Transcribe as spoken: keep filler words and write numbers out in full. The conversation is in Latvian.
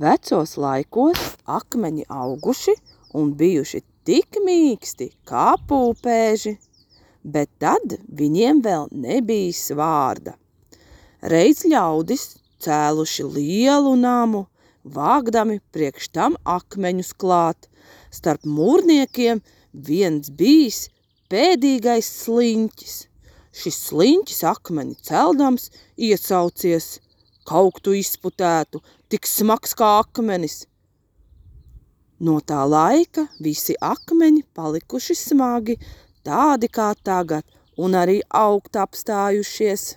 Vecos laikos akmeņi auguši un bijuši tik mīksti kā pūpēži, bet tad viņiem vēl nebijis vārda. Reiz ļaudis cēluši lielu namu, vāgdami priekš tam akmeņus klāt. Starp mūrniekiem viens bijis pēdīgais sliņķis. Šis sliņķis akmeni celdams iesaucies: "Kauktu izputētu, tik smags kā akmenis." No tā laika visi akmeņi palikuši smagi, tādi kā tagad, un arī augt apstājušies.